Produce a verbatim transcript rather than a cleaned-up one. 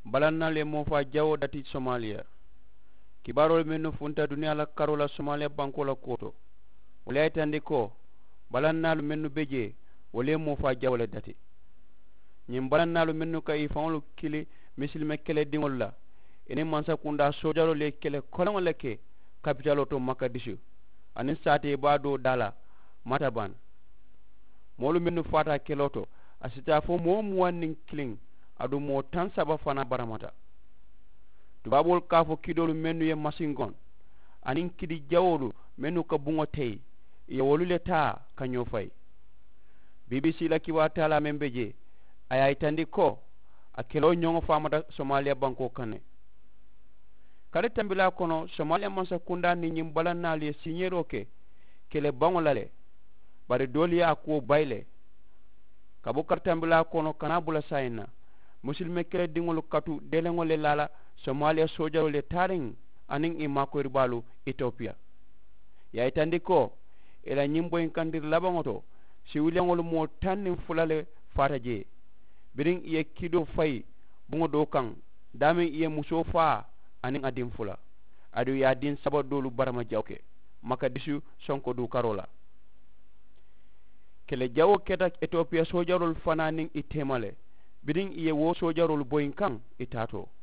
Balannaalu ye moofaa jawoo dati somaaliya. Kibaaroolu mennu funta duniyaa la karoo la somaaliya bankoo la kuwo to, wolu ye a yitandi ko balannaalu mennu be jee, wolu ye moofaa jawoo le dati. Ñiŋ balannaalu mennu ka i faŋolu kili misilime kelediŋolu la, i niŋ mansakundaa soojaroolu ye kele koleŋo le ke kapitaloo to makadisu, aniŋ saatee baa doo daa la mataban. Moolu mennu faata keloo to, a si taa fo moo muwaŋ niŋ kiliŋ, aduŋ moo taŋ saba fanaa baramata. Tubaaboolu ka a fo kidoolu mennu ye masinkoŋ, aniŋ kidi jawoolu mennu ka buŋo teyi, i ye wolu le taa ka ñoo fayi. Bbc la kibaaru taalaa meŋ be jee, a ye a yitandi ko a keloo ñoŋo faamata somaaliya bankoo kaŋ ne. Kali tambilaa kono, somaaliya mansakundaa niŋ ñiŋ balannaalu ye siiñeeroo ke kele baŋo la le, bari doolu ye a kuwo bayi le. Ka bo kali tambilaa kono ka naa bula saayiŋ na, musulime kelediŋolu katu deeleŋo le laa la, somaaliya soojaroolu ye taariŋ aniŋ i maakoyiribaalu itopiya. Ye a yitandi ko i la ñiŋ boyinkandiri labaŋo to, siwiliyaŋolu moo taŋ niŋ fula le faata jee. Biriŋ i ye kidoo fayi buŋo doo kaŋ, daameŋ i ye musoo faa aniŋ a diŋ fula, aduŋ i ye a diŋ saba doolu barama jawo ke makadisu sonko duukaroo la. Kele jawoo keta itopiya soojaroolu fanaa niŋ i teema le, biriŋ i ye wo soojaroolu boyi kaŋ i taatoo.